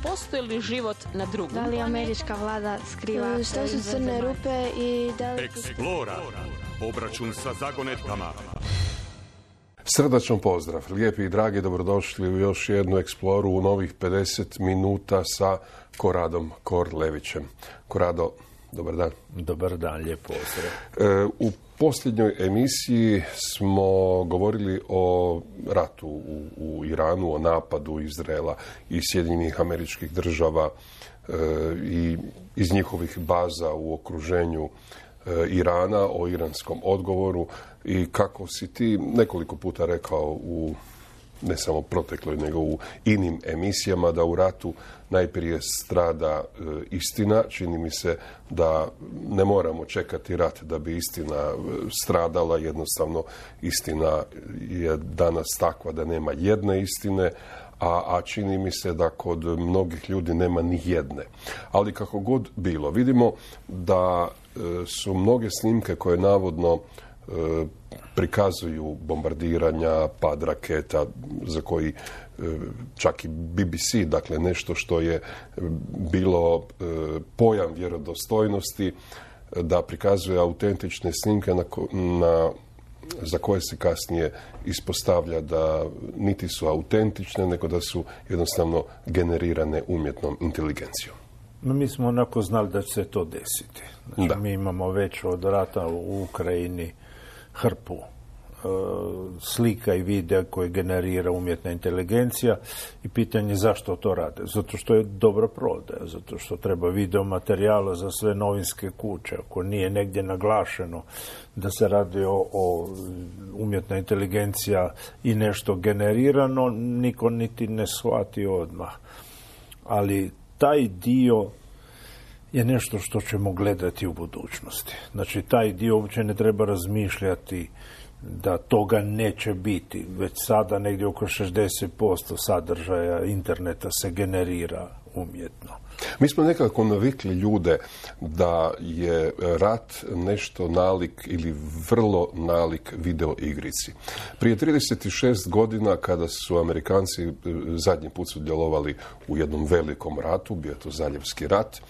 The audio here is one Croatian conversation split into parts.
postoji li život na drugom? Da li američka vlada skriva? Šta su crne rupe i da li... Eksplora. Obračun sa zagonetkama. Srdačan pozdrav, lijepi i dragi, dobrodošli u još jednu eksploru u novih 50 minuta sa Koradom Korlevićem. Korado, dobar dan. Dobar dan, lijep pozdrav. U posljednjoj emisiji smo govorili o ratu u Iranu, o napadu Izraela i Sjedinjenih Američkih Država i iz njihovih baza u okruženju Irana, o iranskom odgovoru i kako si ti nekoliko puta rekao u ne samo protekloj, nego u inim emisijama, da u ratu najprije strada istina. Čini mi se da ne moramo čekati rat da bi istina stradala. Jednostavno, istina je danas takva da nema jedne istine, a čini mi se da kod mnogih ljudi nema ni jedne. Ali kako god bilo, vidimo da su mnoge snimke koje navodno prikazuju bombardiranja, pad raketa, za koji čak i BBC, dakle nešto što je bilo pojam vjerodostojnosti, da prikazuje autentične snimke za koje se kasnije ispostavlja da niti su autentične, nego da su jednostavno generirane umjetnom inteligencijom. No, mi smo onako znali da će se to desiti. Znači, mi imamo već od rata u Ukrajini hrpu slika i videa koje generira umjetna inteligencija i pitanje zašto to rade. Zato što je dobra prodaja, zato što treba video materijala za sve novinske kuće. Ako nije negdje naglašeno da se radi o umjetna inteligencija i nešto generirano, niko niti ne shvati odmah. Ali taj dio je nešto što ćemo gledati u budućnosti. Znači, taj dio uopće ne treba razmišljati da toga neće biti. Već sada negdje oko 60% sadržaja interneta se generira umjetno. Mi smo nekako navikli ljude da je rat nešto nalik ili vrlo nalik video igrici. Prije 36 godina, kada su Amerikanci zadnji put sudjelovali u jednom velikom ratu, bio je to Zaljevski rat,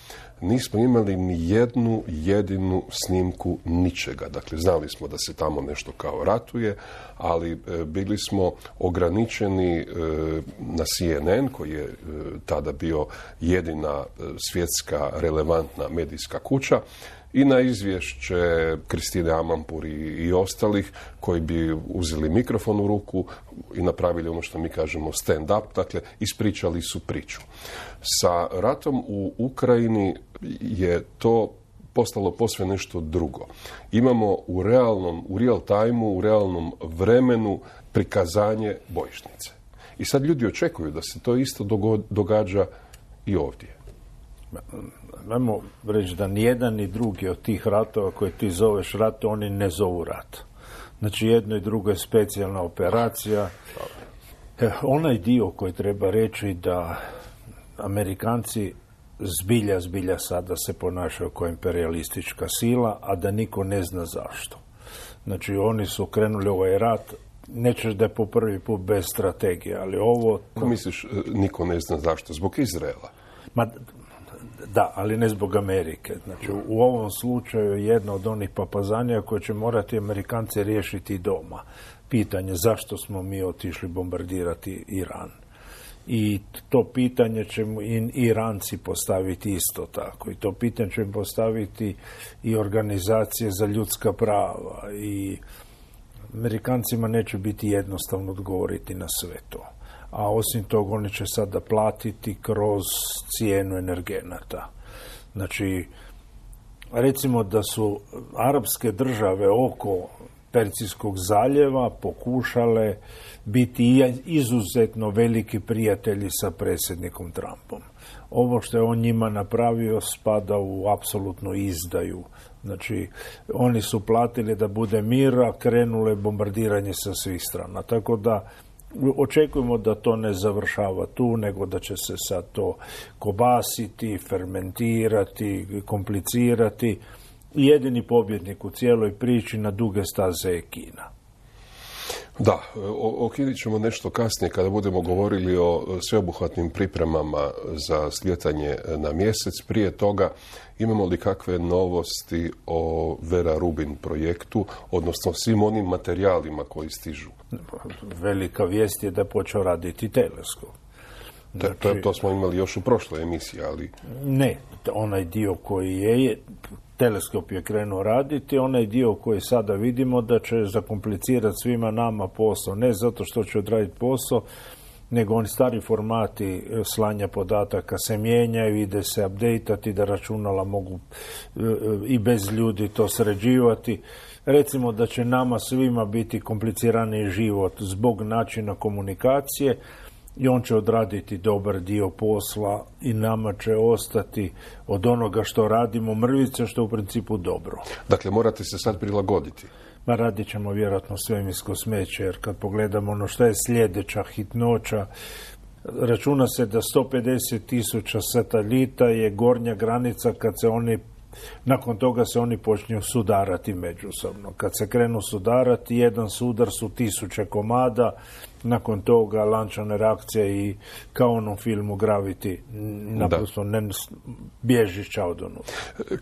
nismo imali ni jednu jedinu snimku ničega. Dakle, znali smo da se tamo nešto kao ratuje, ali bili smo ograničeni na CNN, koji je tada bio jedina svjetska relevantna medijska kuća, i na izvješće Kristine Amanpour i ostalih, koji bi uzeli mikrofon u ruku i napravili ono što mi kažemo stand up, dakle ispričali su priču. Sa ratom u Ukrajini je to postalo posve nešto drugo. Imamo u real time-u, u realnom vremenu prikazanje bojišnice. I sad ljudi očekuju da se to isto događa i ovdje. Ajmo reći da nijedan ni drugi od tih ratova koje ti zoveš rat, oni ne zovu rat. Znači, jedno i drugo je specijalna operacija. Onaj dio koji treba reći da Amerikanci zbilja sada se ponašaju kao imperialistička sila, a da niko ne zna zašto. Znači, oni su krenuli ovaj rat, nećeš da je po prvi put bez strategije, ali ovo... Ko misliš, niko ne zna zašto? Zbog Izraela? Da, ali ne zbog Amerike. Znači, u ovom slučaju je jedna od onih papazanija koje će morati Amerikanci riješiti doma. Pitanje zašto smo mi otišli bombardirati Iran. I to pitanje će i Iranci postaviti isto tako. I to pitanje će im postaviti i organizacije za ljudska prava. I Amerikancima neće biti jednostavno odgovoriti na sve to. A osim toga oni će sada platiti kroz cijenu energenata. Znači, recimo da su arapske države oko Perzijskog zaljeva pokušale biti izuzetno veliki prijatelji sa predsjednikom Trumpom. Ovo što je on njima napravio spada u apsolutnu izdaju. Znači, oni su platili da bude mira, krenule bombardiranje sa svih strana. Tako da očekujemo da to ne završava tu, nego da će se sad to kobasiti, fermentirati, komplicirati. Jedini pobjednik u cijeloj priči na duge staze je Kina. Da, o Kini ćemo nešto kasnije kada budemo govorili o sveobuhvatnim pripremama za slijetanje na mjesec. Prije toga, imamo li kakve novosti o Vera Rubin projektu, odnosno svim onim materijalima koji stižu? Velika vijest je da je počeo raditi teleskop. Znači, to smo imali još u prošloj emisiji, ali... Ne, onaj dio koji je, teleskop je krenuo raditi, onaj dio koji sada vidimo da će zakomplicirati svima nama posao, ne zato što će odraditi posao, nego oni stari formati slanja podataka se mijenjaju, ide se updateati, da računala mogu i bez ljudi to sređivati. Recimo da će nama svima biti kompliciraniji život zbog načina komunikacije, i on će odraditi dobar dio posla i nama će ostati od onoga što radimo mrvice, što je u principu dobro. Dakle, morate se sad prilagoditi. Ma radit ćemo vjerojatno svemirsko smeće, jer kad pogledamo ono što je sljedeća hitnoća, računa se da 150.000 satelita je gornja granica kad se oni, nakon toga se oni počinju sudarati međusobno. Kad se krenu sudarati, jedan sudar su 1000 komada, nakon toga lančane reakcije i kao u onom filmu Gravity, naprosto ne bježića od onoga.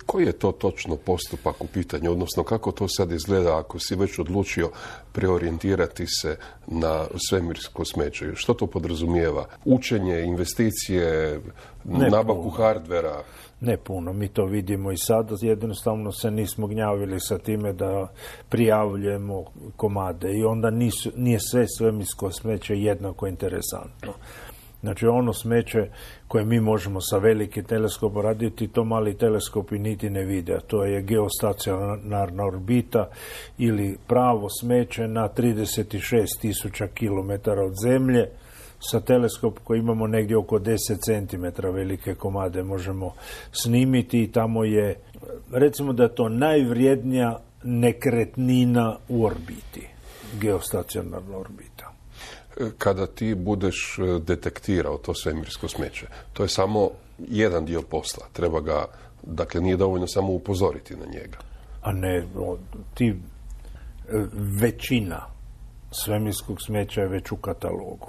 Koji je to točno postupak u pitanju, odnosno kako to sad izgleda ako si već odlučio preorijentirati se na svemirsko smeće? Što to podrazumijeva? Učenje, investicije, nabavku hardvera? Ne puno, mi to vidimo i sad, jednostavno se nismo gnjavili sa time da prijavljujemo komade i onda nije sve svemirsko smeće jednako interesantno. Znači ono smeće koje mi možemo sa velikim teleskopom raditi, to mali teleskopi niti ne vide, a to je geostacionarna orbita ili pravo smeće na 36.000 km od Zemlje. Sa teleskop koji imamo negdje oko 10 cm velike komade možemo snimiti i tamo je, recimo da je to najvrijednija nekretnina u orbiti, geostacionarna orbita. Kada ti budeš detektirao to svemirsko smeće, to je samo jedan dio posla. Treba ga, dakle nije dovoljno samo upozoriti na njega. A ne, većina svemirskog smeća je već u katalogu.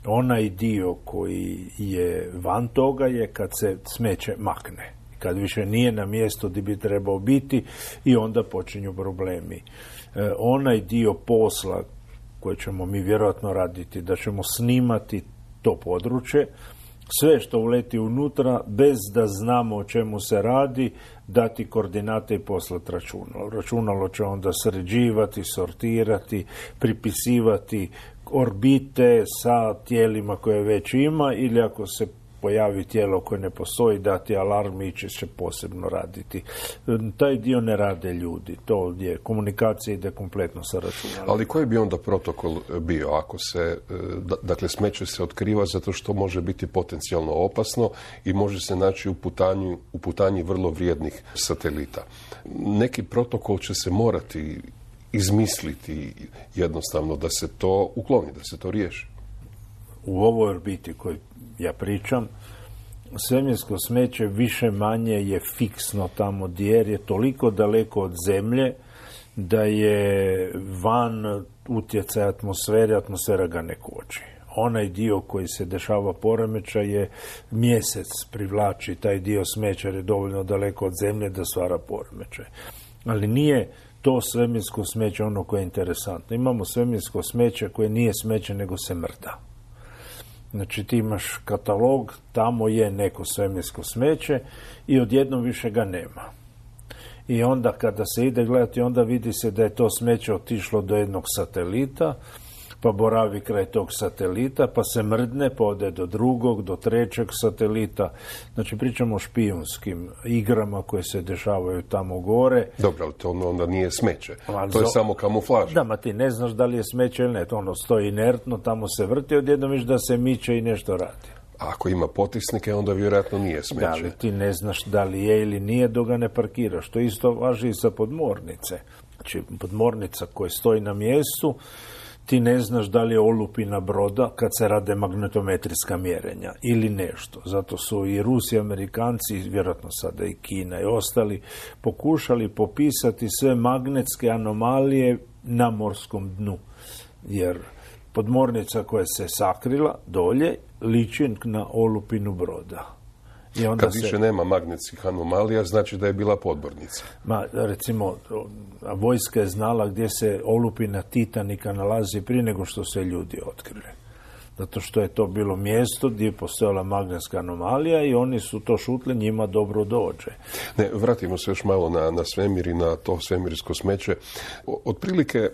Onaj dio koji je van toga je kad se smeće makne. Kad više nije na mjestu gdje bi trebao biti i onda počinju problemi. Onaj dio posla koji ćemo mi vjerojatno raditi, da ćemo snimati to područje, sve što uleti unutra, bez da znamo o čemu se radi, dati koordinate i poslati računalo. Računalo će onda sređivati, sortirati, pripisivati orbite sa tijelima koje već ima, ili ako se pojavi tijelo koje ne postoji, dati alarm i će posebno raditi. Taj dio ne rade ljudi. To je komunikacija, ide kompletno sa računalom. Ali koji bi onda protokol bio ako se, dakle smeće se otkriva zato što može biti potencijalno opasno i može se naći u putanji vrlo vrijednih satelita. Neki protokol će se morati izmisliti jednostavno da se to ukloni, da se to riješi. U ovoj orbiti koju ja pričam, svemirsko smeće više manje je fiksno tamo jer je toliko daleko od Zemlje da je van utjecaja atmosfere, atmosfera ga ne koči. Onaj dio koji se dešava poremećaj je mjesec privlači taj dio smeća jer je dovoljno daleko od Zemlje da stvara poremećaj. Ali nije to svemirsko smeće ono koje je interesantno. Imamo svemirsko smeće koje nije smeće nego se mrda. Znači ti imaš katalog, tamo je neko svemirsko smeće i odjednom više ga nema. I onda kada se ide gledati, onda vidi se da je to smeće otišlo do jednog satelita, pa boravi kraj tog satelita, pa se mrdne, pa ode do drugog, do trećeg satelita. Znači pričamo o špijunskim igrama koje se dešavaju tamo gore. Dobro, ali to onda nije smeće. To je samo kamuflaža. Da, ma ti ne znaš da li je smeće ili ne. To ono stoji inertno, tamo se vrti, odjednom viš da se miče i nešto radi. A ako ima potisnike, onda vjerojatno nije smeće. Da, ali ti ne znaš da li je ili nije dok ga ne parkiraš. To isto važi i sa podmornice. Znači, podmornica koja stoji na mjestu, ti ne znaš da li je olupina broda kad se rade magnetometrijska mjerenja ili nešto. Zato su i Rusi, Amerikanci, vjerojatno sada i Kina i ostali, pokušali popisati sve magnetske anomalije na morskom dnu. Jer podmornica koja se sakrila dolje liči na olupinu broda. I onda kad više nema magnetskih anomalija, znači da je bila podmornica. Recimo, vojska je znala gdje se olupina Titanika nalazi prije nego što se ljudi otkrili. Zato što je to bilo mjesto gdje je postojala magnetska anomalija i oni su to šutli, njima dobro dođe. Ne, vratimo se još malo na svemir i na to svemirsko smeće. Otprilike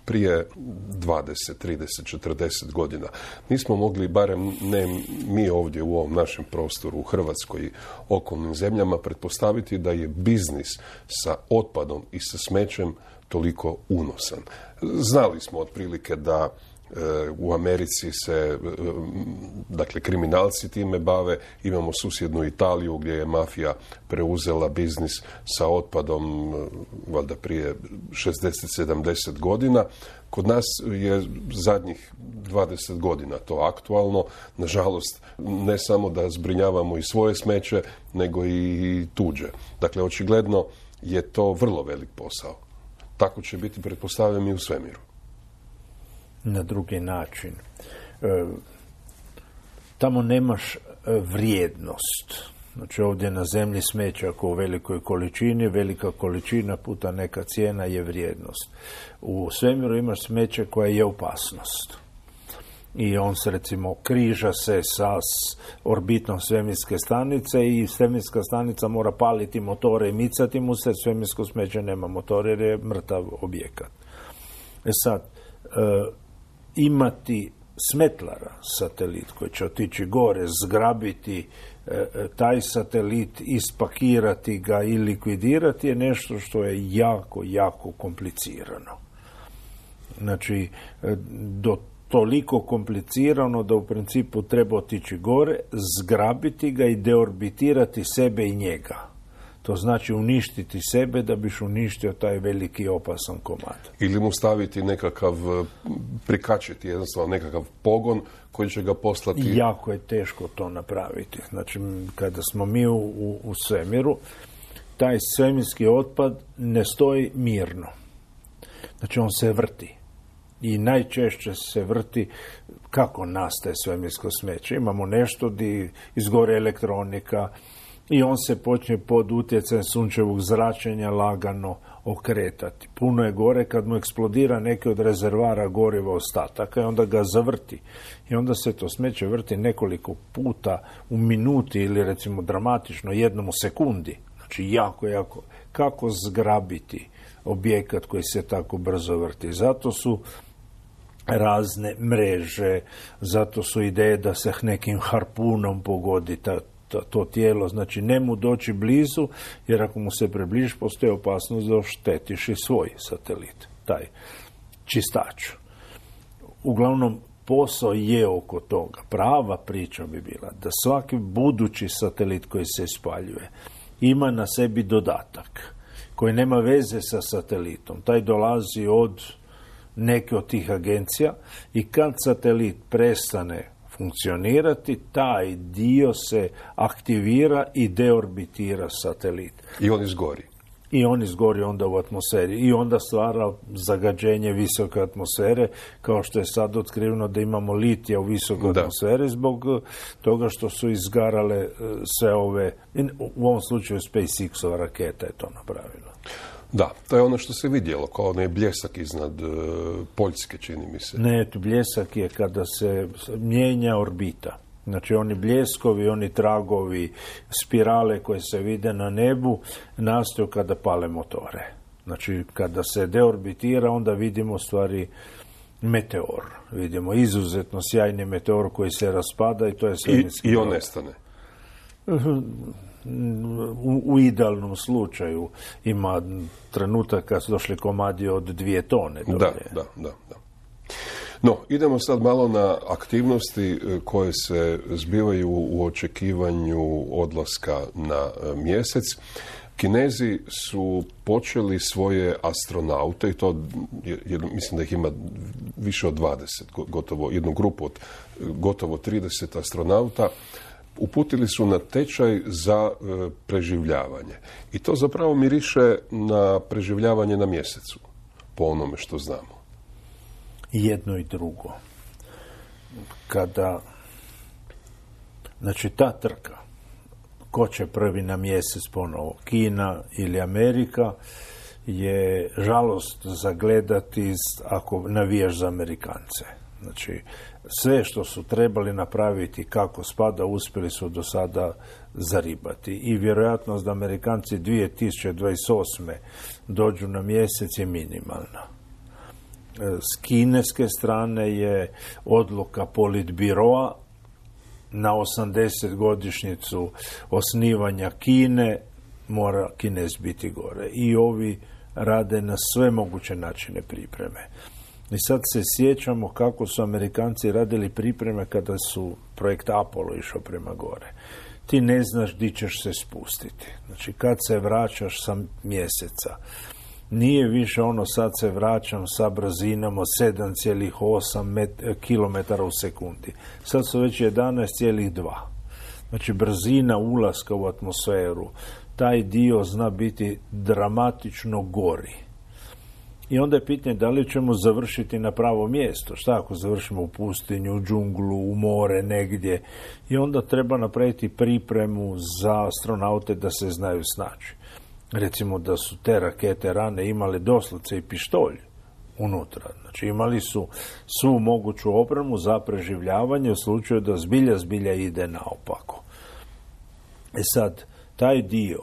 prije 20, 30, 40 godina nismo mogli, barem ne mi ovdje u ovom našem prostoru, u Hrvatskoj i okolnim zemljama, pretpostaviti da je biznis sa otpadom i sa smećem toliko unosan. Znali smo otprilike da u Americi se, dakle, kriminalci time bave. Imamo susjednu Italiju gdje je mafija preuzela biznis sa otpadom valjda prije 60-70 godina. Kod nas je zadnjih 20 godina to aktualno. Nažalost, ne samo da zbrinjavamo i svoje smeće, nego i tuđe. Dakle, očigledno je to vrlo velik posao. Tako će biti, pretpostavljam, i u svemiru. Na drugi način. Tamo nemaš vrijednost. Znači ovdje na zemlji smeća ako u velikoj količini, velika količina puta neka cijena je vrijednost. U svemiru imaš smeće koja je opasnost. I on se, recimo, križa se sa orbitom svemirske stanice i svemirska stanica mora paliti motore i micati mu se, svemirsko smeće nema motore jer je mrtav objekat. Sad, imati smetlara satelit koji će otići gore, zgrabiti taj satelit, ispakirati ga i likvidirati je nešto što je jako, jako komplicirano. Znači, do toliko komplicirano da u principu treba otići gore, zgrabiti ga i deorbitirati sebe i njega. To znači uništiti sebe da biš uništio taj veliki opasan komad. Ili mu staviti nekakav, prikačiti jednostavno nekakav pogon koji će ga poslati. Jako je teško to napraviti. Znači, kada smo mi u svemiru, taj svemirski otpad ne stoji mirno. Znači, on se vrti. I najčešće se vrti kako nastaje svemirsko smeće. Imamo nešto gdje izgore elektronika i on se počne pod utjecajem sunčevog zračenja lagano okretati. Puno je gore kad mu eksplodira neki od rezervara goriva ostataka i onda ga zavrti. I onda se to smeće vrti nekoliko puta u minuti ili recimo dramatično jednom u sekundi. Znači jako, jako. Kako zgrabiti objekat koji se tako brzo vrti? Zato su razne mreže, zato su ideje da se nekim harpunom pogodi to tijelo, znači ne mu doći blizu, jer ako mu se približiš, postoji opasnost da oštetiš i svoj satelit, taj čistač. Uglavnom, posao je oko toga. Prava priča bi bila da svaki budući satelit koji se ispaljuje ima na sebi dodatak koji nema veze sa satelitom. Taj dolazi od neke od tih agencija i kad satelit prestane funkcionirati, taj dio se aktivira i deorbitira satelit. I on izgori. I on izgori onda u atmosferi. I onda stvara zagađenje visoke atmosfere, kao što je sad otkriveno da imamo litija u visokoj atmosferi zbog toga što su izgarale sve ove, u ovom slučaju SpaceX-ova raketa je to napravila. Da, to je ono što se vidjelo, kao onaj bljesak iznad Poljske, čini mi se. Ne, bljesak je kada se mijenja orbita. Znači, oni bljeskovi, oni tragovi, spirale koje se vide na nebu, nastaju kada pale motore. Znači, kada se deorbitira, onda vidimo stvari meteor. Vidimo izuzetno sjajni meteor koji se raspada i to je svemirski. I on nestane. U idealnom slučaju ima trenutak kad su došli komadi od 2 tone. Da. No, idemo sad malo na aktivnosti koje se zbivaju u očekivanju odlaska na mjesec. Kinezi su počeli svoje astronaute, i to mislim da ih ima više od 20, gotovo jednu grupu od gotovo 30 astronauta, uputili su na tečaj za preživljavanje. I to zapravo miriše na preživljavanje na mjesecu. po onome što znamo? Jedno i drugo. Znači, ta trka, ko će prvi na mjesec ponovo, Kina ili Amerika, je žalost zagledati ako navijaš za Amerikance. Znači, sve što su trebali napraviti kako spada, uspjeli su do sada zaribati. I vjerojatnost da Amerikanci 2028. dođu na mjesec je minimalna. S kineske strane je odluka Politbiroa na 80-godišnjicu osnivanja Kine, mora Kinez biti gore. I ovi rade na sve moguće načine pripreme. I sad se sjećamo kako su Amerikanci radili pripreme kada su projekt Apollo išao prema gore. Ti ne znaš di ćeš se spustiti. Znači, kad se vraćaš sa mjeseca, nije više ono sad se vraćam sa brzinom od 7,8 km u sekundi. Sad su već 11,2. Znači, brzina ulaska u atmosferu, taj dio zna biti dramatično gori. I onda je pitanje da li ćemo završiti na pravo mjesto. Šta ako završimo u pustinju, u džunglu, u more, negdje. I onda treba napraviti pripremu za astronaute da se znaju snaći. Recimo da su te rakete rane imale doslovce i pištolj unutra. Znači imali su svu moguću opremu za preživljavanje u slučaju da zbilja ide naopako. Sad, taj dio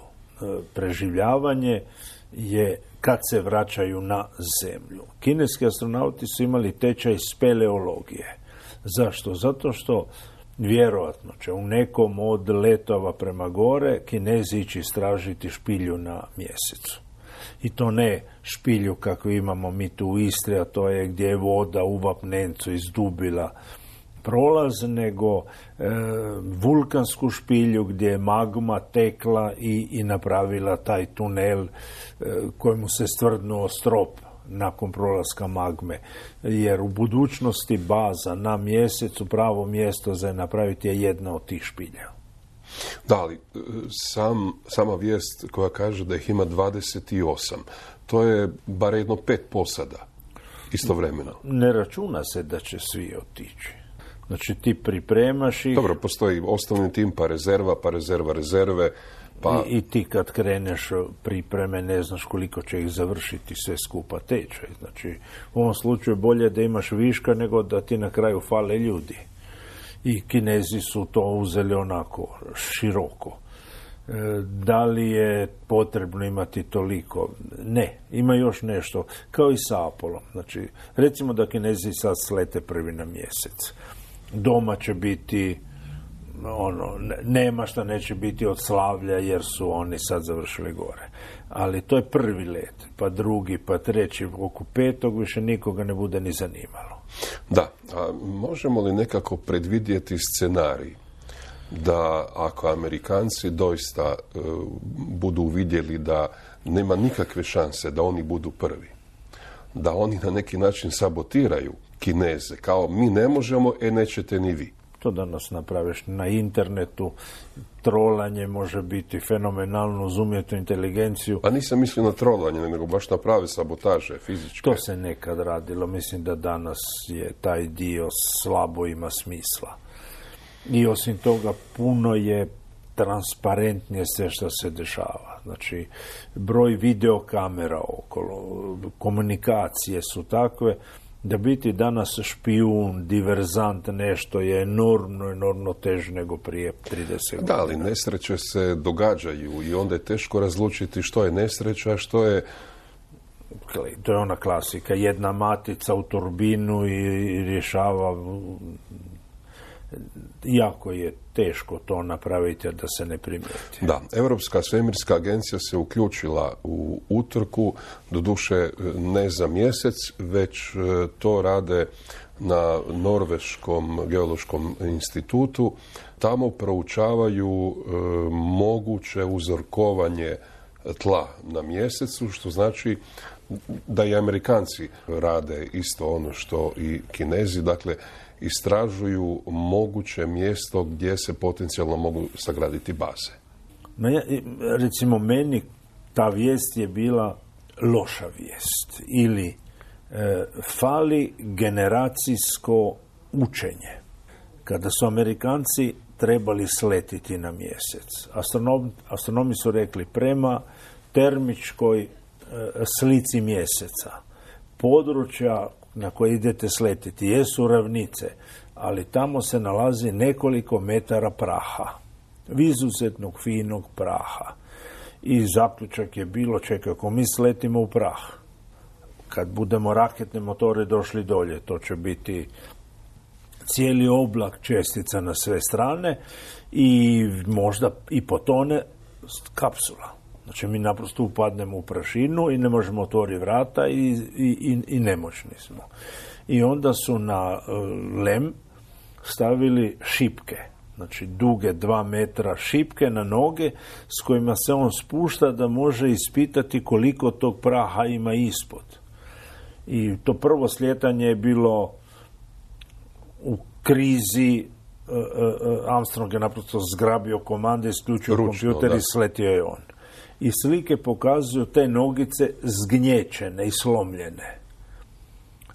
preživljavanje je kad se vraćaju na zemlju. Kineski astronauti su imali tečaj speleologije. Zašto? Zato što vjerojatno će u nekom od letova prema gore Kinezi ići istražiti špilju na mjesecu. I to ne špilju kakvu imamo mi tu u Istri, a to je gdje je voda u vapnencu izdubila prolaz, nego vulkansku špilju gdje je magma tekla i napravila taj tunel kojemu se stvrdnuo strop nakon prolaska magme. Jer u budućnosti baza na mjesecu, pravo mjesto za napraviti je jedna od tih špilja. Da, ali sama vijest koja kaže da ih ima 28, to je bar jedno 5 posada istovremeno. Ne računa se da će svi otići. Znači ti pripremaš ih... Dobro, postoji osnovni tim, pa rezerve, pa... I ti kad kreneš pripreme ne znaš koliko će ih završiti sve skupa tečaj. Znači u ovom slučaju bolje da imaš viška nego da ti na kraju fale ljudi. I Kinezi su to uzeli onako široko. Da li je potrebno imati toliko? Ne, ima još nešto. Kao i sa Apollom. Znači, recimo da Kinezi sad slete prvi na mjesec. Doma će biti nema šta neće biti od slavlja jer su oni sad završili gore. Ali to je prvi let, pa drugi, pa treći, oko 5. više nikoga ne bude ni zanimalo. Da, a možemo li nekako predvidjeti scenarij da ako Amerikanci doista budu vidjeli da nema nikakve šanse da oni budu prvi, da oni na neki način sabotiraju Kineze, kao mi ne možemo, nećete ni vi. To danas napraviš na internetu, trolanje može biti fenomenalno uz umjetnu inteligenciju. A nisam mislio na trolanje, nego baš na prave sabotaže, fizičke. To se nekad radilo, mislim da danas je taj dio slabo ima smisla. I osim toga puno je transparentnije sve što se dešava. Znači, broj videokamera okolo, komunikacije su takve da biti danas špijun, diverzant, nešto je enormno teže nego prije 30 godina. Da, ali nesreće se događaju i onda je teško razlučiti što je nesreća, a što je... To je ona klasika, jedna matica u turbinu i rješava... Jako je teško to napraviti da se ne primijeti. Da, Europska svemirska agencija se uključila u utrku, doduše ne za mjesec, već to rade na Norveškom geološkom institutu. Tamo proučavaju moguće uzorkovanje tla na mjesecu, što znači da i Amerikanci rade isto ono što i Kinezi, dakle istražuju moguće mjesto gdje se potencijalno mogu sagraditi baze. Recimo, meni ta vijest je bila loša vijest. Ili Fali generacijsko učenje. Kada su Amerikanci trebali sletiti na mjesec, astronomi su rekli prema termičkoj slici mjeseca, područja na koje idete sletiti jesu ravnice, ali tamo se nalazi nekoliko metara praha, izuzetnog finog praha. I zaključak je bilo, čekaj, ako mi sletimo u prah, kad budemo raketne motore došli dolje, to će biti cijeli oblak čestica na sve strane i možda i potone kapsula. Znači mi naprosto upadnemo u prašinu i ne možemo otvoriti vrata i nemoćni smo. I onda su na lem stavili šipke, znači duge 2 metra šipke na noge s kojima se on spušta da može ispitati koliko tog praha ima ispod. I to prvo slijetanje je bilo u krizi. Armstrong je naprosto zgrabio komande, isključio kompjuter i sletio je on. I slike pokazuju te nogice zgnječene i slomljene.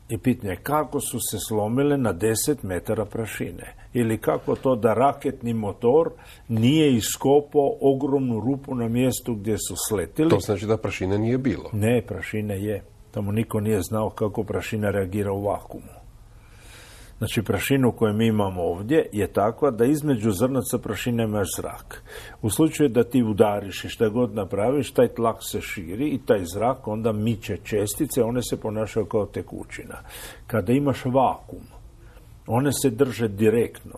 I pitanje je kako su se slomile na 10 metara prašine. Ili kako to da raketni motor nije iskopao ogromnu rupu na mjestu gdje su sletili. To znači da prašine nije bilo. Ne, prašine je. Tamo niko nije znao kako prašina reagira u vakuumu. Znači, prašinu koju mi imamo ovdje je takva da između zrnaca prašine imaš zrak. U slučaju da ti udariš i šta god napraviš, taj tlak se širi i taj zrak onda miče čestice, one se ponašaju kao tekućina. Kada imaš vakuum, one se drže direktno,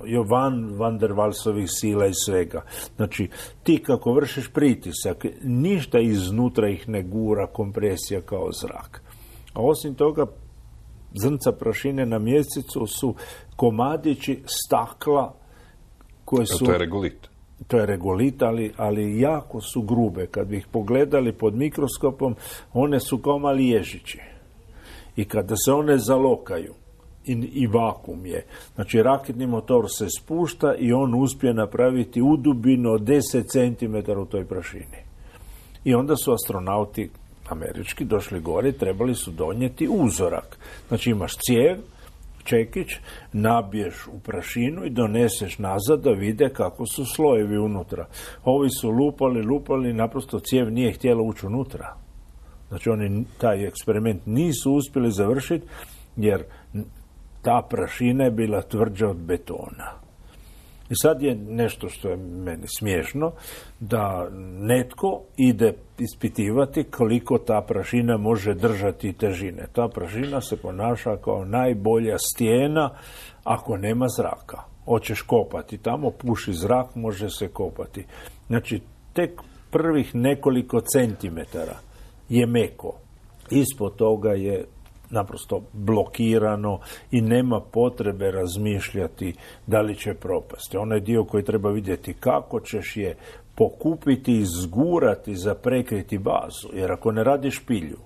van der Waalsovih sila i svega. Znači, ti kako vršiš pritisak, ništa iznutra ih ne gura kompresija kao zrak. A osim toga, zrnca prašine na mjesecu su komadići stakla koje su... To je regolit. To je regolit, ali jako su grube. Kad bi ih pogledali pod mikroskopom, one su kao mali ježići. I kada se one zalokaju, i vakuum je. Znači, raketni motor se spušta i on uspije napraviti udubinu od 10 cm u toj prašini. I onda su astronauti američki došli gore, trebali su donijeti uzorak. Znači, imaš cijev, čekić, nabiješ u prašinu i doneseš nazad da vide kako su slojevi unutra. Ovi su lupali, naprosto cijev nije htjela ući unutra. Znači, oni taj eksperiment nisu uspjeli završiti jer ta prašina je bila tvrđa od betona. I sad je nešto što je meni smiješno, da netko ide ispitivati koliko ta prašina može držati težine. Ta prašina se ponaša kao najbolja stijena ako nema zraka. Hoćeš kopati tamo, puši zrak, može se kopati. Znači, tek prvih nekoliko centimetara je meko. Ispod toga je naprosto blokirano i nema potrebe razmišljati da li će propasti. Onaj dio koji treba vidjeti kako ćeš je pokupiti i zgurati za prekriti bazu. Jer ako ne radiš pilju,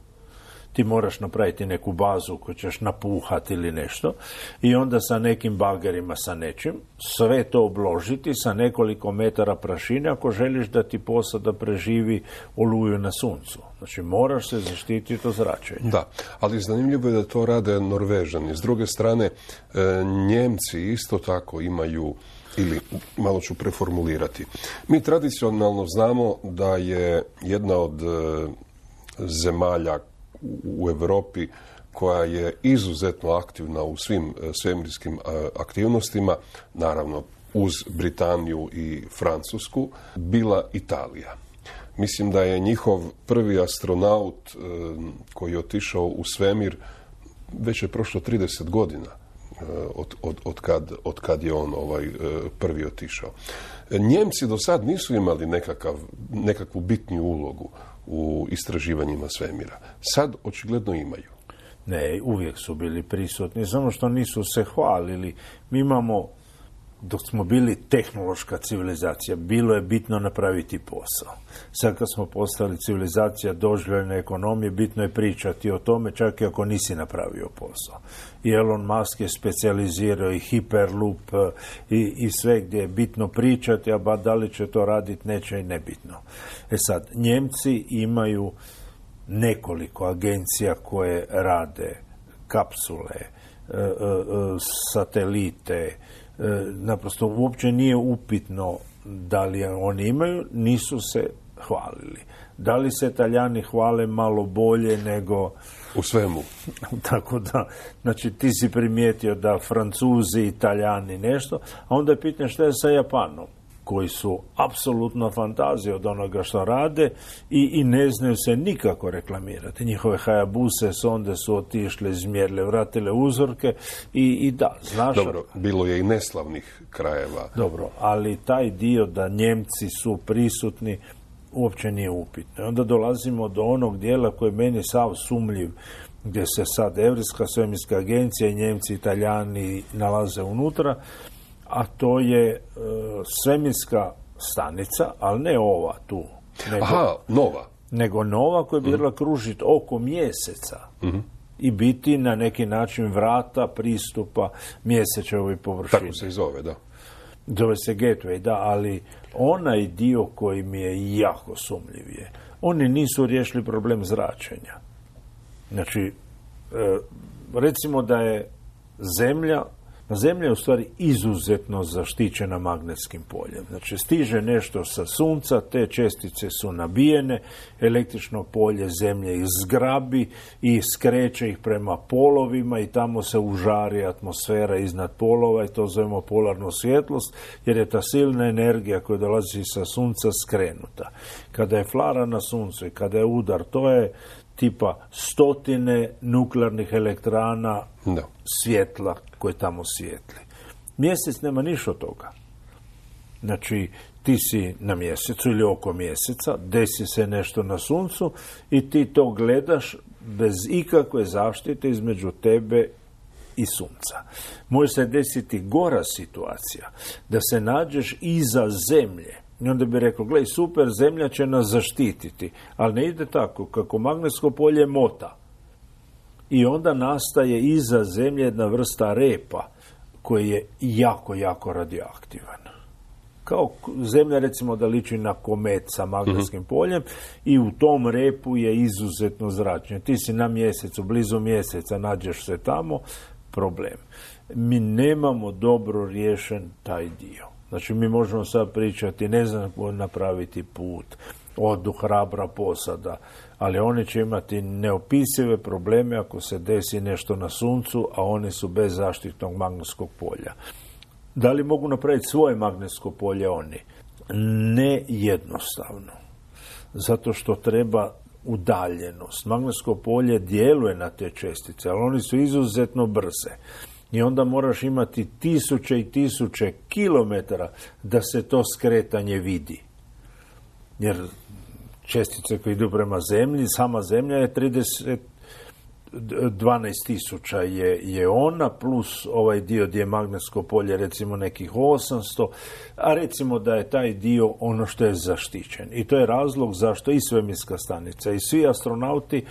ti moraš napraviti neku bazu koju ćeš napuhati ili nešto i onda sa nekim bagerima, sa nečim, sve to obložiti sa nekoliko metara prašine ako želiš da ti posada preživi oluju na suncu. Znači, moraš se zaštititi od zračenja. Da, ali zanimljivo je da to rade Norvežani. S druge strane, Njemci isto tako imaju, ili malo ću preformulirati. Mi tradicionalno znamo da je jedna od zemalja u Europi koja je izuzetno aktivna u svim svemirskim aktivnostima, naravno uz Britaniju i Francusku, bila Italija. Mislim da je njihov prvi astronaut koji je otišao u svemir, već je prošlo 30 godina od kad je on prvi otišao. Njemci do sad nisu imali nekakvu bitniju ulogu u istraživanjima svemira. Sad očigledno imaju. Ne, uvijek su bili prisutni, samo što nisu se hvalili. Mi imamo, dok smo bili tehnološka civilizacija, bilo je bitno napraviti posao. Sad kad smo postali civilizacija doživljene ekonomije, bitno je pričati o tome čak i ako nisi napravio posao. I Elon Musk je specijalizirao i Hyperloop i sve gdje je bitno pričati, a ba da li će to raditi neće i nebitno. Sad, Njemci imaju nekoliko agencija koje rade kapsule, satelite, naprosto uopće nije upitno da li oni imaju, nisu se hvalili. Da li se Talijani hvale malo bolje nego... U svemu. Tako da, znači ti si primijetio da Francuzi i Talijani nešto, a onda je pitanje šta je sa Japanom, koji su apsolutno fantazije od onoga što rade i ne znaju se nikako reklamirati. Njihove Hayabuse sonde su otišle, izmjerile, vratile uzorke i da, znaš... Dobro, bilo je i neslavnih krajeva. Dobro, ali taj dio da Njemci su prisutni uopće nije upitno. I onda dolazimo do onog dijela koji je meni sav sumljiv, gdje se sad Europska svemirska agencija i Njemci i Talijani nalaze unutra, a to je svemirska stanica, ali ne ova tu. Nego nova koja bi bila kružiti oko mjeseca i biti na neki način vrata pristupa mjesečevoj površini. Tako se i zove, da. Zove se Gateway, da, ali onaj dio koji mi je jako sumljiv je. Oni nisu riješili problem zračenja. Znači, recimo da je Zemlja je u stvari izuzetno zaštićena magnetskim poljem. Znači, stiže nešto sa sunca, te čestice su nabijene, električno polje Zemlje ih zgrabi i skreće ih prema polovima i tamo se užari atmosfera iznad polova i to zovemo polarnu svjetlost, jer je ta silna energija koja dolazi sa sunca skrenuta. Kada je flara na suncu i kada je udar, to je tipa 100 nuklearnih elektrana svjetla koje tamo svijetli. Mjesec nema ništa od toga. Znači, ti si na mjesecu ili oko mjeseca, desi se nešto na suncu i ti to gledaš bez ikakve zaštite između tebe i sunca. Može se desiti gora situacija, da se nađeš iza Zemlje. I onda bi rekao, gledaj, super, Zemlja će nas zaštititi. Ali ne ide tako, kako magnetsko polje mota. I onda nastaje iza Zemlje jedna vrsta repa koji je jako, jako radioaktivan. Kao Zemlja, recimo, da liči na komet sa magnetskim poljem i u tom repu je izuzetno zračenje. Ti si na mjesecu, blizu mjeseca, nađeš se tamo, problem. Mi nemamo dobro riješen taj dio. Znači, mi možemo sad pričati, ne znam, napraviti put, odu hrabra posada, ali oni će imati neopisive probleme ako se desi nešto na suncu, a oni su bez zaštitnog magnetskog polja. Da li mogu napraviti svoje magnetsko polje oni? Ne jednostavno. Zato što treba udaljenost. Magnetsko polje djeluje na te čestice, ali oni su izuzetno brze. I onda moraš imati 1000 i 1000 kilometara da se to skretanje vidi. Jer čestice koje idu prema Zemlji, sama Zemlja je 12.000 je ona, plus ovaj dio gdje je magnetsko polje recimo nekih 800, a recimo da je taj dio ono što je zaštićen. I to je razlog zašto i svemirska stanica i svi astronauti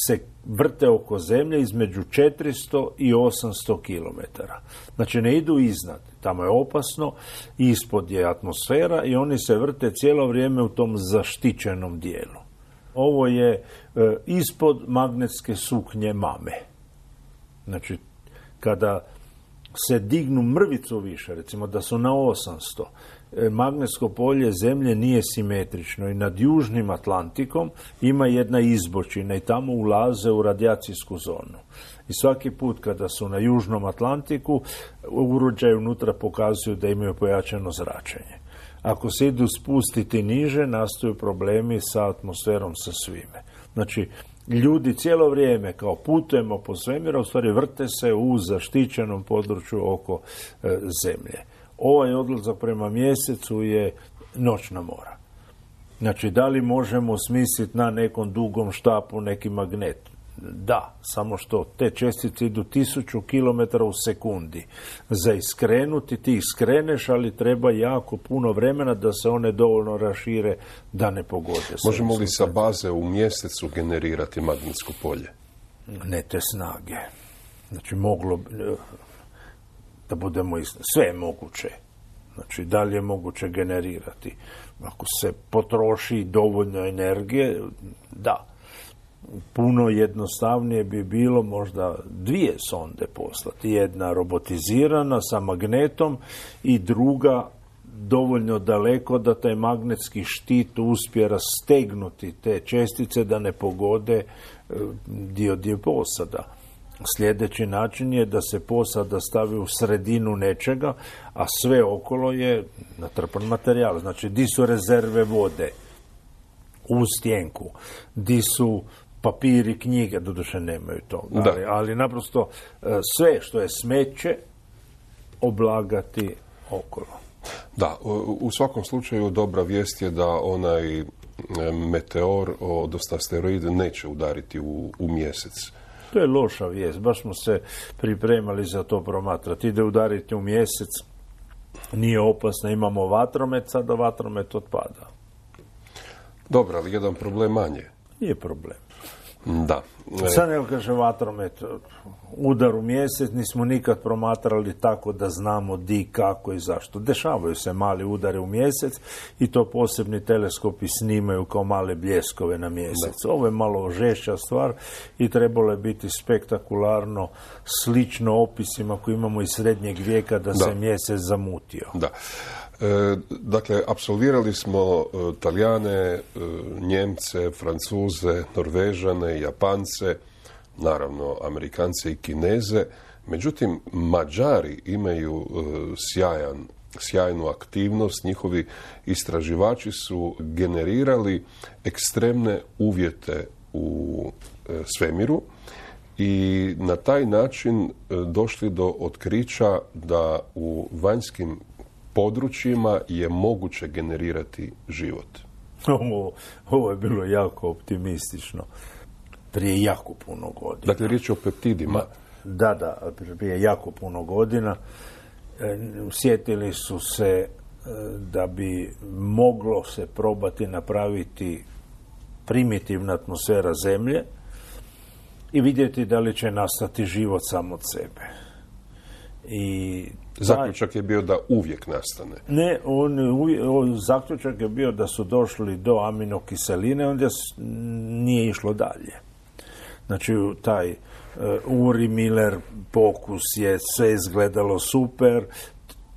se vrte oko Zemlje između 400 i 800 kilometara. Znači ne idu iznad, tamo je opasno, ispod je atmosfera i oni se vrte cijelo vrijeme u tom zaštićenom dijelu. Ovo je ispod magnetske suknje mame. Znači, kada se dignu mrvicu više, recimo da su na 800, magnetsko polje Zemlje nije simetrično i nad Južnim Atlantikom ima jedna izbočina i tamo ulaze u radijacijsku zonu. I svaki put kada su na Južnom Atlantiku, uređaji unutra pokazuju da imaju pojačano zračenje. Ako se idu spustiti niže, nastaju problemi sa atmosferom, sa svime. Znači, ljudi cijelo vrijeme kao putujemo po svemiru, u stvari vrte se u zaštićenom području oko Zemlje. Ovaj odlazak prema mjesecu je noćna mora. Znači, da li možemo smisliti na nekom dugom štapu neki magnet? Da, samo što te čestice idu 1000 km u sekundi. Za iskrenuti ti ih skreneš, ali treba jako puno vremena da se one dovoljno rašire da ne pogode. Možemo li sa baze u mjesecu generirati magnetsko polje? Ne te snage. Znači, moglo da budemo sve je moguće. Znači, da li je moguće generirati? Ako se potroši dovoljno energije, da. puno jednostavnije bi bilo možda 2 sonde poslati. Jedna robotizirana sa magnetom i druga dovoljno daleko da taj magnetski štit uspije rastegnuti te čestice da ne pogode dio posada. Sljedeći način je da se posada stavi u sredinu nečega, a sve okolo je natrpan materijal. Znači, di su rezerve vode u stjenku, di su papiri, knjige, doduše nemaju toga, ali naprosto sve što je smeće oblagati okolo. Da, u svakom slučaju dobra vijest je da onaj meteor, odnosno asteroid, neće udariti u mjesec. To je loša vijest, baš smo se pripremali za to promatrati. Ide udariti u mjesec, nije opasno, imamo vatromet, sada vatromet otpada. Dobro, ali jedan problem manje. Nije problem. Da. Sad nego kaže vatromet, udar u mjesec, nismo nikad promatrali tako da znamo di, kako i zašto. Dešavaju se mali udari u mjesec i to posebni teleskopi snimaju kao male bljeskove na mjesec. Da. Ovo je malo žešća stvar i trebalo je biti spektakularno, slično opisima koji imamo iz srednjeg vijeka da se mjesec zamutio. Da. Dakle, apsolvirali smo Talijane, Njemce, Francuze, Norvežane, Japance, naravno Amerikance i Kineze. Međutim, Mađari imaju sjajnu aktivnost. Njihovi istraživači su generirali ekstremne uvjete u svemiru i na taj način došli do otkrića da u vanjskim područjima je moguće generirati život. Ovo je bilo jako optimistično. Prije jako puno godina. Dakle, riječ je o peptidima. Da, prije jako puno godina. Sjetili su se da bi moglo se probati napraviti primitivna atmosfera Zemlje i vidjeti da li će nastati život sam od sebe. I zaključak je bio da uvijek nastane. Ne, zaključak je bio da su došli do aminokiseline, onda nije išlo dalje. Znači, taj Uri-Miller pokus je sve izgledalo super,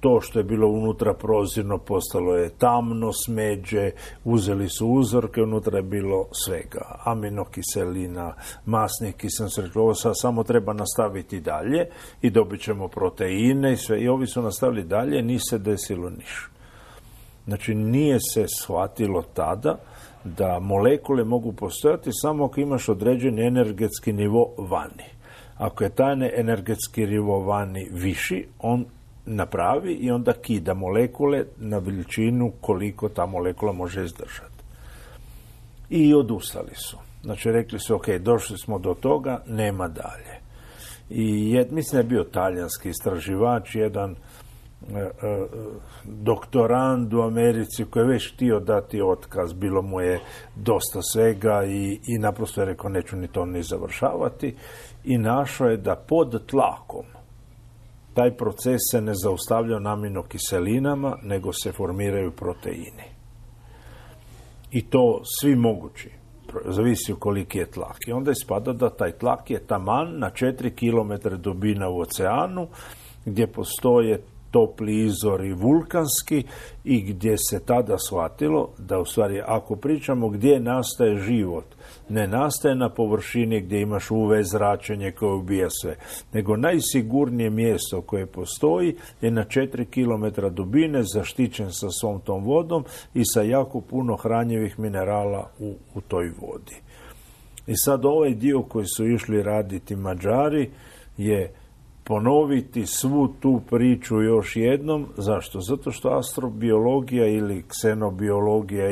to što je bilo unutra prozirno postalo je tamno, smeđe, uzeli su uzorke, unutra je bilo svega. Aminokiselina, masnih kiselina, ovo samo treba nastaviti dalje i dobit ćemo proteine i sve. I ovi su nastavili dalje, nije se desilo ništa. Znači, nije se shvatilo tada da molekule mogu postojati samo ako imaš određeni energetski nivo vani. Ako je taj energetski nivo vani viši, on napravi i onda kida molekule na veličinu koliko ta molekula može izdržati. I odustali su. Znači, rekli su, ok, došli smo do toga, nema dalje. I mislim da je bio talijanski istraživač, jedan doktorand u Americi koji je već htio dati otkaz, bilo mu je dosta svega i naprosto je rekao, neću ni to ni završavati, i našao je da pod tlakom taj proces se ne zaustavlja na aminokiselinama, nego se formiraju proteini. I to svi mogući. Zavisi u koliki je tlak. I onda ispada da taj tlak je taman na 4 km dubina u oceanu, gdje postoje topli izvori vulkanski i gdje se tada shvatilo da u stvari ako pričamo gdje nastaje život, ne nastaje na površini gdje imaš UV zračenje koje ubija sve, nego najsigurnije mjesto koje postoji je na 4 km dubine, zaštićen sa svom tom vodom i sa jako puno hranjivih minerala u toj vodi. I sad ovaj dio koji su išli raditi Mađari je ponoviti svu tu priču još jednom. Zašto? Zato što astrobiologija ili ksenobiologija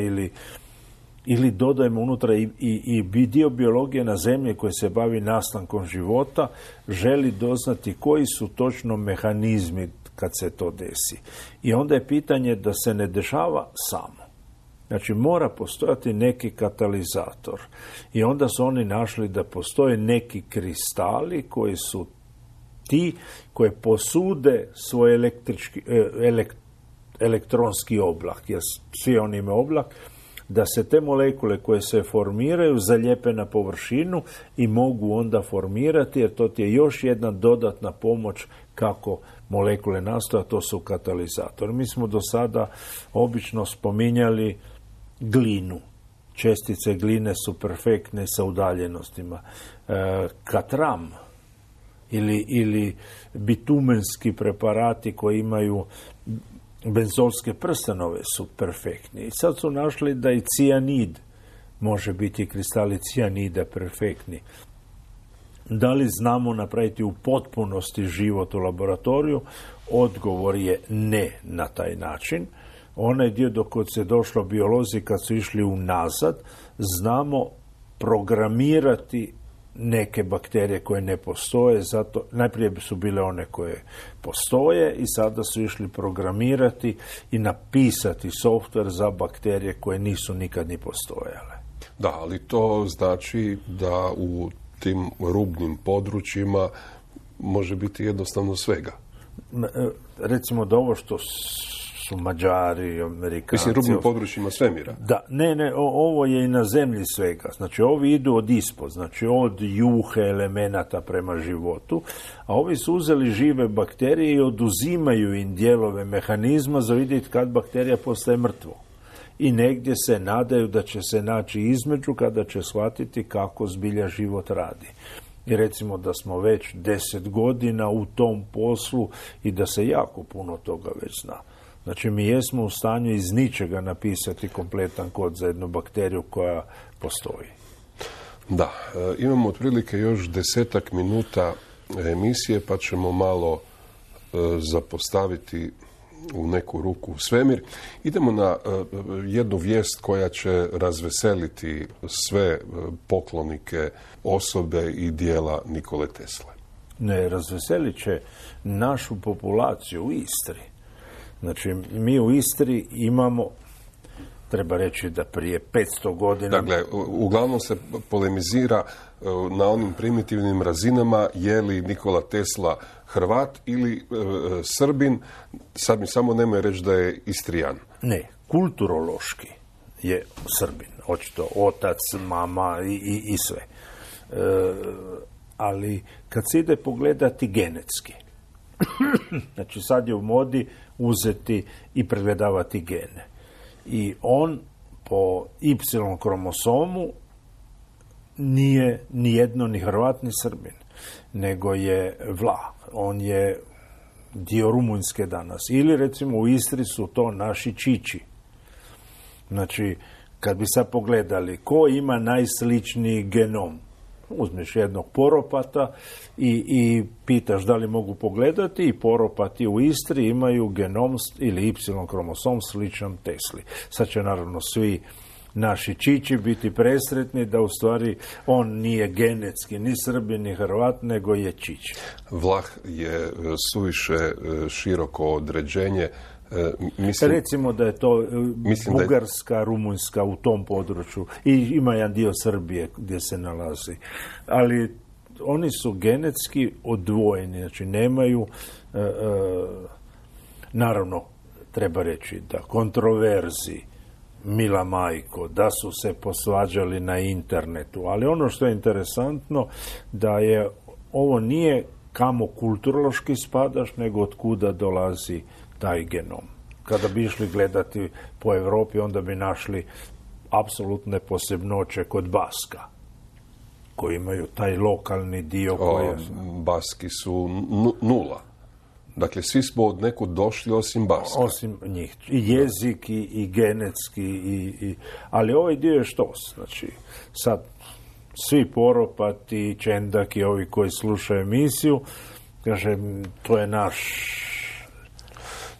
ili dodajemo unutra i dio biologije na Zemlji koji se bavi nastankom života, želi doznati koji su točno mehanizmi kad se to desi. I onda je pitanje da se ne dešava samo. Znači, mora postojati neki katalizator. I onda su oni našli da postoje neki kristali koji su ti koje posude svoj elektronski oblak, jer svi oni imaju oblak, da se te molekule koje se formiraju zalijepe na površinu i mogu onda formirati, jer to ti je još jedna dodatna pomoć kako molekule nastaju, a to su katalizatori. Mi smo do sada obično spominjali glinu. Čestice gline su perfektne sa udaljenostima. Katram ili bitumenski preparati koji imaju benzolske prstanove su perfektni. I sad su našli da i cijanid može biti, kristali cijanida perfektni. Da li znamo napraviti u potpunosti život u laboratoriju? Odgovor je ne na taj način. Onaj dio dok se došlo biolozi kad su išli unazad, znamo programirati neke bakterije koje ne postoje, zato najprije su bile one koje postoje i sada su išli programirati i napisati softver za bakterije koje nisu nikad ni postojale. Da, ali to znači da u tim rubnim područjima može biti jednostavno svega. Recimo da ovo što su Mađari, Amerikanci... Mislim, rubnim područjima svemira. Da, ne, ovo je i na zemlji svega. Znači, ovi idu od ispod, znači od juhe elemenata prema životu, a ovi su uzeli žive bakterije i oduzimaju im dijelove mehanizma za vidjeti kad bakterija postaje mrtvo. I negdje se nadaju da će se naći između kada će shvatiti kako zbilja život radi. I recimo da smo već 10 godina u tom poslu i da se jako puno toga već zna. Znači, mi jesmo u stanju iz ničega napisati kompletan kod za jednu bakteriju koja postoji. Da, imamo otprilike još 10 minuta emisije, pa ćemo malo zapostaviti u neku ruku svemir. Idemo na jednu vijest koja će razveseliti sve poklonike osobe i dijela Nikole Tesle. Ne, razveselit će našu populaciju u Istri. Znači, mi u Istri imamo, treba reći da prije 500 godina... Dakle, uglavnom se polemizira na onim primitivnim razinama je li Nikola Tesla Hrvat ili Srbin, sad mi samo nemoj reći da je Istrijan. Ne, kulturološki je Srbin, očito otac, mama i sve. Ali kad se ide pogledati genetski, znači sad je u modi uzeti i pregledavati gene. I on po Y kromosomu nije ni jedno ni Hrvat ni Srbin, nego je Vlah. On je dio Rumunjske danas. Ili recimo u Istri su to naši Čiči. Znači, kad bi sad pogledali ko ima najsličniji genom, uzmeš jednog poropata i pitaš da li mogu pogledati i poropati u Istri imaju genom ili Y kromosom sličan Tesli. Sad će naravno svi naši Čiči biti presretni da u stvari on nije genetski ni Srbin ni Hrvat, nego je Čič. Vlah je suviše široko određenje. Recimo da je to Bugarska, Rumunjska u tom području i ima jedan dio Srbije gdje se nalazi. Ali oni su genetski odvojeni, znači nemaju, naravno treba reći da kontroverzi, mila majko, da su se posvađali na internetu, ali ono što je interesantno da je ovo nije kamo kulturološki spadaš, nego od kuda dolazi taj genom. Kada bi išli gledati po Europi, onda bi našli apsolutne posebnoće kod Baska, koji imaju taj lokalni dio. Baski su nula. Dakle, svi smo od nekud došli osim Baska. Osim njih. I jezik, i genetski, ali ovaj dio je štos. Znači, sad svi poropati, Čendak i ovi koji slušaju emisiju, kaže, to je naš...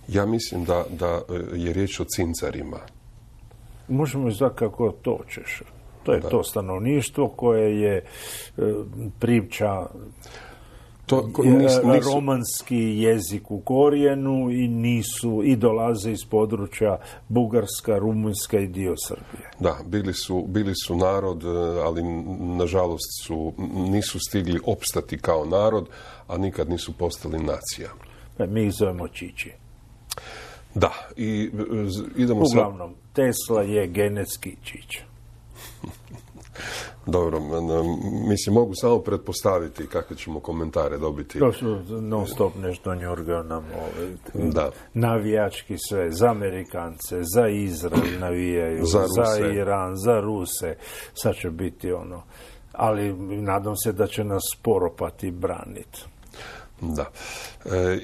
Ja mislim da je riječ o cincarima. Možemo izvati kako to ćeš. To je to stanovništvo koje je priča romanski jezik u korijenu i dolaze iz područja Bugarska, Rumunjska i dio Srbije. Da, bili su narod, ali nažalost nisu stigli opstati kao narod, a nikad nisu postali nacija. Mi ih zovemo Čiči. Da, i idemo uglavnom, Tesla je genetski čić. Dobro, mislim, mogu samo pretpostaviti kakve ćemo komentare dobiti. To su non stop nešto njurgao nam navijački sve, za Amerikance, za Izrael navijaju, za Iran, za Ruse, sad će biti ono, ali nadam se da će nas poropati braniti. Da.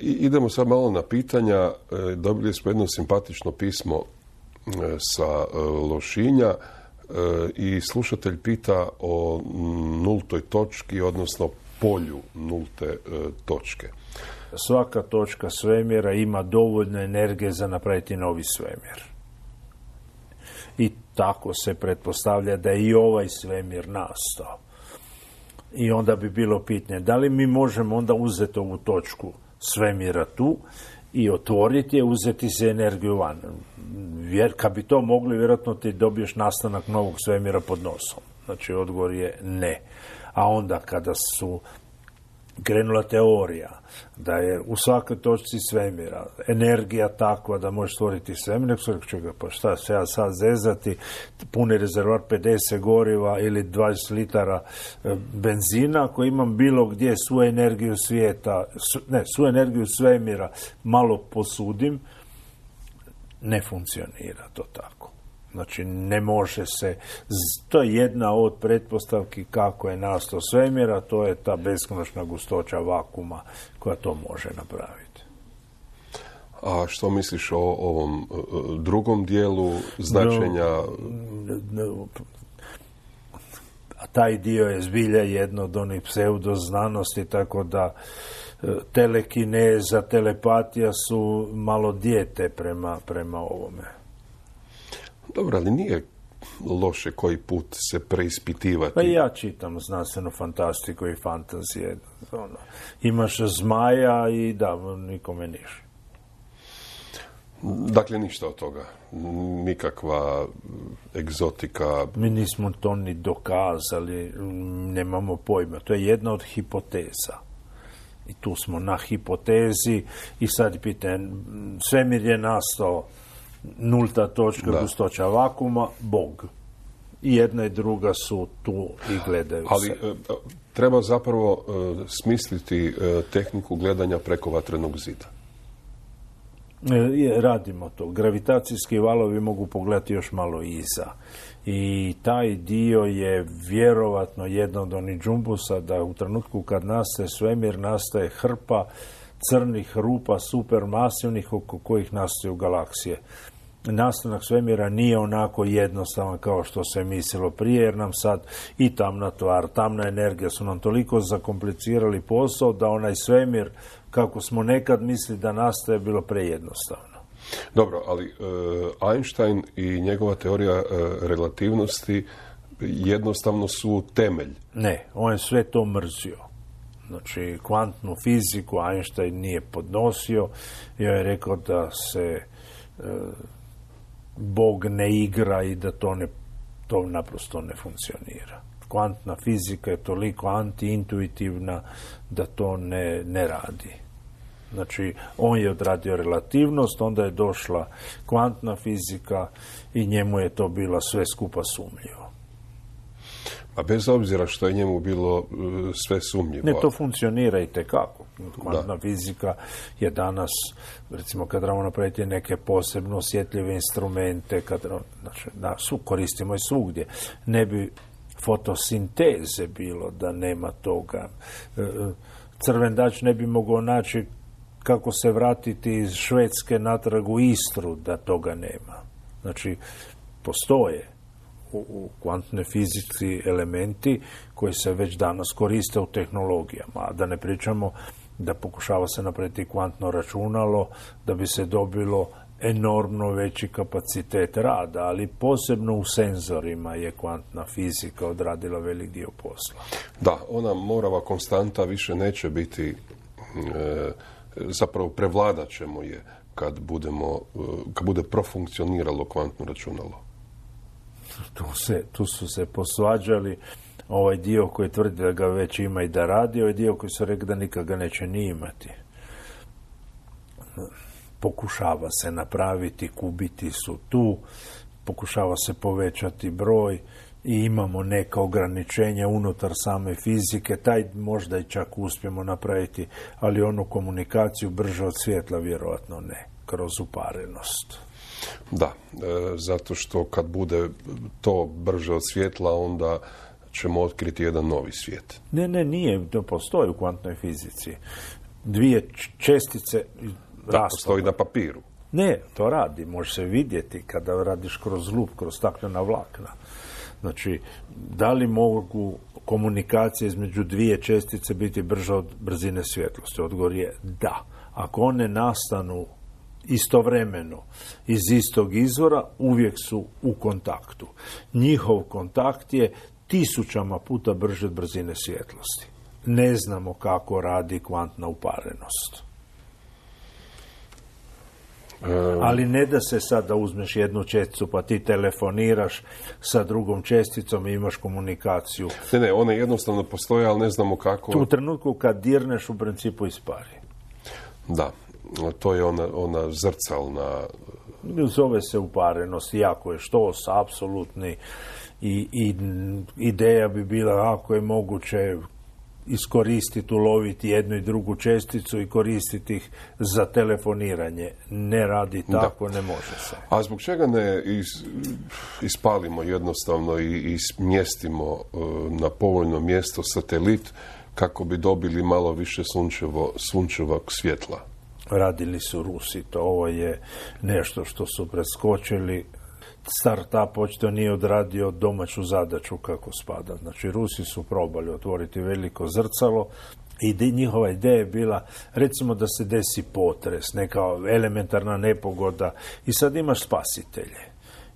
Idemo sad malo na pitanja. Dobili smo jedno simpatično pismo sa Lošinja i slušatelj pita o nultoj točki, odnosno polju nulte točke. Svaka točka svemira ima dovoljno energije za napraviti novi svemir. I tako se pretpostavlja da je i ovaj svemir nastao. I onda bi bilo pitanje, da li mi možemo onda uzeti ovu točku svemira tu i otvoriti je, uzeti se energiju van. Kad bi to mogli, vjerojatno ti dobiješ nastanak novog svemira pod nosom. Znači, odgovor je ne. A onda kada su krenula teorija da je u svakoj točci svemira energija takva da možeš stvoriti svemir, nek su rekli, čega, pa šta se ja sad zezati, puni rezervoar 50 goriva ili 20 litara benzina, ako imam bilo gdje svu energiju svijeta, svu energiju svemira malo posudim, ne funkcionira to tako. Znači, ne može se, to je jedna od pretpostavki kako je nastao svemir, a to je ta beskonačna gustoća vakuma koja to može napraviti. A što misliš o ovom drugom dijelu značenja? Taj dio je zbilja jedno od onih pseudoznanosti, tako da telekineza, telepatija su malo dijete prema ovome. Dobro, ali nije loše koji put se preispitivati. Pa ja čitam znanstvenu fantastiku i fantazije. Imaš zmaja i da, nikome niš. Dakle, ništa od toga. Nikakva egzotika. Mi nismo to ni dokazali, nemamo pojma. To je jedna od hipoteza. I tu smo na hipotezi i sad pitanje, svemir je nastao nulta točka, gustoća vakuma, Bog. I jedna i druga su tu i gledaju ali, se. Treba zapravo smisliti tehniku gledanja preko vatrenog zida. Radimo to. Gravitacijski valovi mogu pogledati još malo iza. I taj dio je vjerovatno jedno od onih džumbusa da u trenutku kad nastaje svemir, nastaje hrpa crnih rupa supermasivnih oko kojih nastaju galaksije. Nastanak svemira nije onako jednostavan kao što se mislilo prije, jer nam sad i tamna tvar, tamna energija su nam toliko zakomplicirali posao da onaj svemir, kako smo nekad mislili da nastaje, bilo prejednostavno. Dobro, ali Einstein i njegova teorija relativnosti jednostavno su temelj. Ne, on je sve to mrzio. Znači, kvantnu fiziku Einstein nije podnosio i on je rekao da se Bog ne igra i da to naprosto ne funkcionira. Kvantna fizika je toliko antiintuitivna da to ne radi. Znači, on je odradio relativnost, onda je došla kvantna fizika i njemu je to bilo sve skupa sumnjivo. A bez obzira što je njemu bilo sve sumnjivo. Ne, to funkcionira i tekako. Kvantna fizika je danas, recimo kad trebamo napraviti neke posebno osjetljive instrumente, koristimo i svugdje. Ne bi fotosinteze bilo da nema toga. Crvendač ne bi mogao naći kako se vratiti iz Švedske natrag u Istru da toga nema. Znači, postoje u kvantnoj fizici elementi koji se već danas koriste u tehnologijama, a da ne pričamo da pokušava se napraviti kvantno računalo da bi se dobilo enormno veći kapacitet rada, ali posebno u senzorima je kvantna fizika odradila velik dio posla. Da, ona morava konstanta više neće biti, zapravo prevladat ćemo je kad bude profunkcioniralo kvantno računalo. Tu su se posvađali ovaj dio koji tvrdi da ga već ima i da radi, ovaj dio koji su rekli da nikad ga neće ni imati. Pokušava se napraviti, kubiti su tu, pokušava se povećati broj i imamo neka ograničenja unutar same fizike, taj možda i čak uspijemo napraviti, ali onu komunikaciju brže od svjetla vjerojatno ne, kroz uparenost. Da, zato što kad bude to brže od svjetla, onda ćemo otkriti jedan novi svijet. Ne, nije, to postoji u kvantnoj fizici. Dvije čestice da, postoji na papiru. Ne, to radi, može se vidjeti kada radiš kroz lup, kroz staklena vlakna. Znači, da li mogu komunikacije između dvije čestice biti brže od brzine svjetlosti? Odgovor je da. Ako one nastanu istovremeno iz istog izvora, uvijek su u kontaktu. Njihov kontakt je 1000 puta brže od brzine svjetlosti. Ne znamo kako radi kvantna uparenost. Ali ne da se sad da uzmeš jednu česticu pa ti telefoniraš sa drugom česticom i imaš komunikaciju. Ne, one jednostavno postoje, ali ne znamo kako. U trenutku kad dirneš, u principu ispari. Da, to je ona zrcalna... Zove se uparenost, jako je štos, apsolutni. I ideja bi bila ako je moguće iskoristiti, uloviti jednu i drugu česticu i koristiti ih za telefoniranje. Ne radi tako, ne može se. A zbog čega ne ispalimo jednostavno i smjestimo na povoljno mjesto satelit kako bi dobili malo više sunčevog svjetla? Radili su Rusi, ovo je nešto što su preskočili. Start-up očito nije odradio domaću zadaću kako spada. Znači, Rusi su probali otvoriti veliko zrcalo i njihova ideja je bila, recimo da se desi potres, neka elementarna nepogoda i sad imaš spasitelje.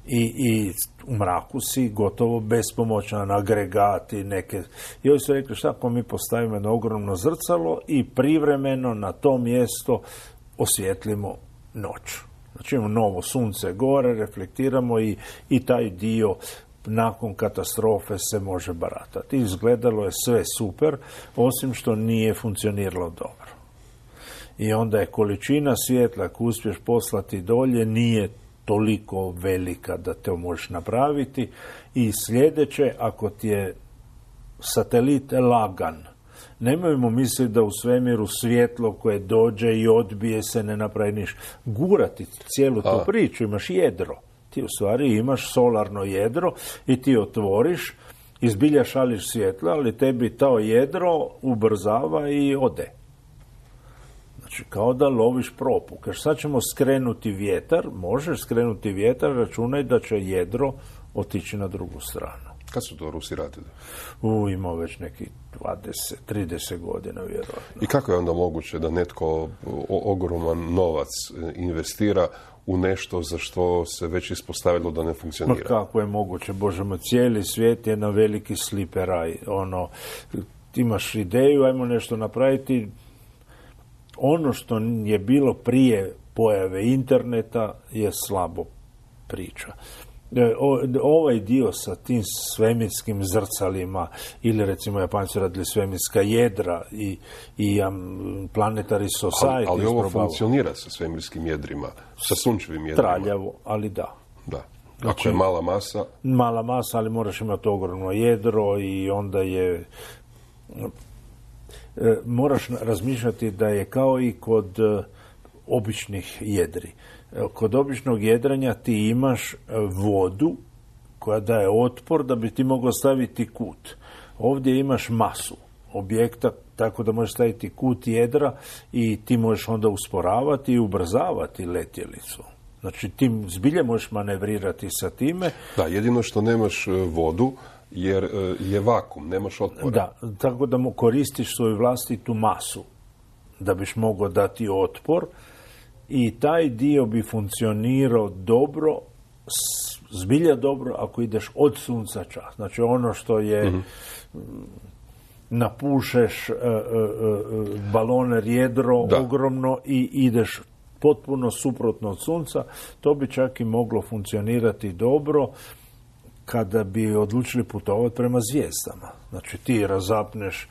I u mraku si gotovo bespomoćan, agregati neke. I oni su rekli, šta ako mi postavimo jedno ogromno zrcalo i privremeno na to mjesto osvijetlimo noć. Znači imamo novo sunce gore, reflektiramo i taj dio nakon katastrofe se može baratati. Izgledalo je sve super, osim što nije funkcioniralo dobro. I onda je količina svjetla koju uspješ poslati dolje nije toliko velika da te možeš napraviti. I sljedeće, ako ti je satelit lagan, nemojmo misliti da u svemiru svjetlo koje dođe i odbije se ne napravi ništa. Gurati cijelu tu priču, imaš jedro. Ti u stvari imaš solarno jedro i ti otvoriš, izbilja šališ svjetla, ali tebi to jedro ubrzava i ode. Znači, kao da loviš propuk. Jer sad ćemo skrenuti vjetar, možeš skrenuti vjetar, računaj da će jedro otići na drugu stranu. Kad su to Rusi radili? Imao već neki 20-30 godina, vjerojatno. I kako je onda moguće da netko ogroman novac investira u nešto za što se već ispostavilo da ne funkcionira? Kako je moguće? Bože moj, cijeli svijet je na veliki sliperaj. Ti imaš ideju, ajmo nešto napraviti. Ono što je bilo prije pojave interneta je slabo priča. Ovaj dio sa tim svemirskim zrcalima ili recimo Japanci radili svemirska jedra i Planetary Society. Ali ovo funkcionira sa svemirskim jedrima, sa sunčevim jedrima. Traljavo, ali da. Da. Ako je mala masa. Mala masa, ali moraš imati ogromno jedro i onda je... Moraš razmišljati da je kao i kod običnih jedri. Kod običnog jedranja ti imaš vodu koja daje otpor da bi ti mogao staviti kut. Ovdje imaš masu objekta, tako da možeš staviti kut jedra i ti možeš onda usporavati i ubrzavati letjelicu. Znači ti zbilje možeš manevrirati sa time. Da, jedino što nemaš vodu jer je vakum, nemaš otpora. Da, tako da mu koristiš svoju vlastitu masu da biš mogao dati otpor. I taj dio bi funkcionirao dobro, zbilja dobro, ako ideš od sunca čas. Znači ono što je napušeš baloner jedro ogromno i ideš potpuno suprotno od sunca, to bi čak i moglo funkcionirati dobro kada bi odlučili putovati prema zvijezdama. Znači ti razapneš,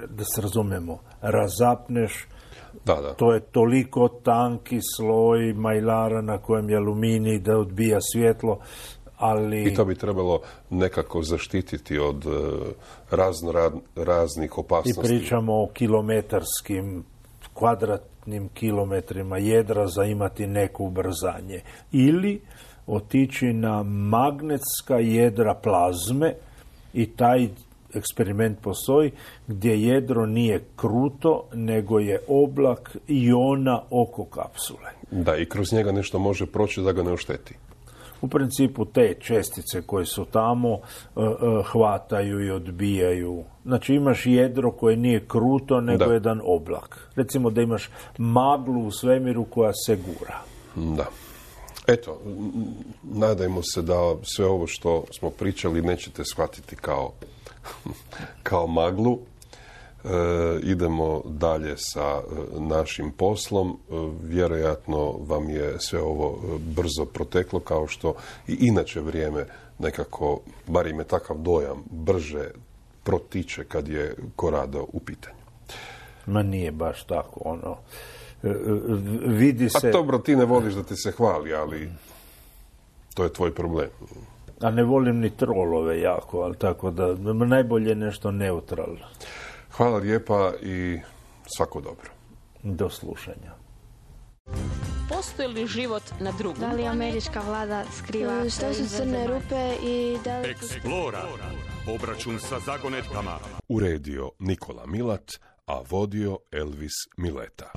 da se razumemo, razapneš Da. To je toliko tanki sloj majlara na kojem je aluminij da odbija svjetlo, ali... I to bi trebalo nekako zaštititi od raznih opasnosti. I pričamo o kilometarskim, kvadratnim kilometrima jedra za imati neko ubrzanje. Ili otići na magnetska jedra plazme i taj eksperiment postoji gdje jedro nije kruto, nego je oblak iona oko kapsule. Da, i kroz njega nešto može proći da ga ne ošteti. U principu te čestice koje su tamo hvataju i odbijaju. Znači imaš jedro koje nije kruto, nego jedan oblak. Recimo da imaš maglu u svemiru koja se gura. Da. Eto, nadajmo se da sve ovo što smo pričali nećete shvatiti kao maglu. Idemo dalje sa našim poslom. Vjerojatno vam je sve ovo brzo proteklo, kao što i inače vrijeme nekako, bar im je takav dojam, brže protiče kad je Corrado u pitanju. Ma nije baš tako, vidi se... A dobro, ti ne voliš da ti se hvali, ali to je tvoj problem. A ne volim ni trolove jako, ali tako da najbolje nešto neutralno. Hvala lijepa i svako dobro. Do slušanja. Postoji li život na drugom? Da li američka vlada skriva Što su crne rupe i da li... Explora. Obračun sa zagonetkama. Uredio Nikola Milat, a vodio Elvis Mileta.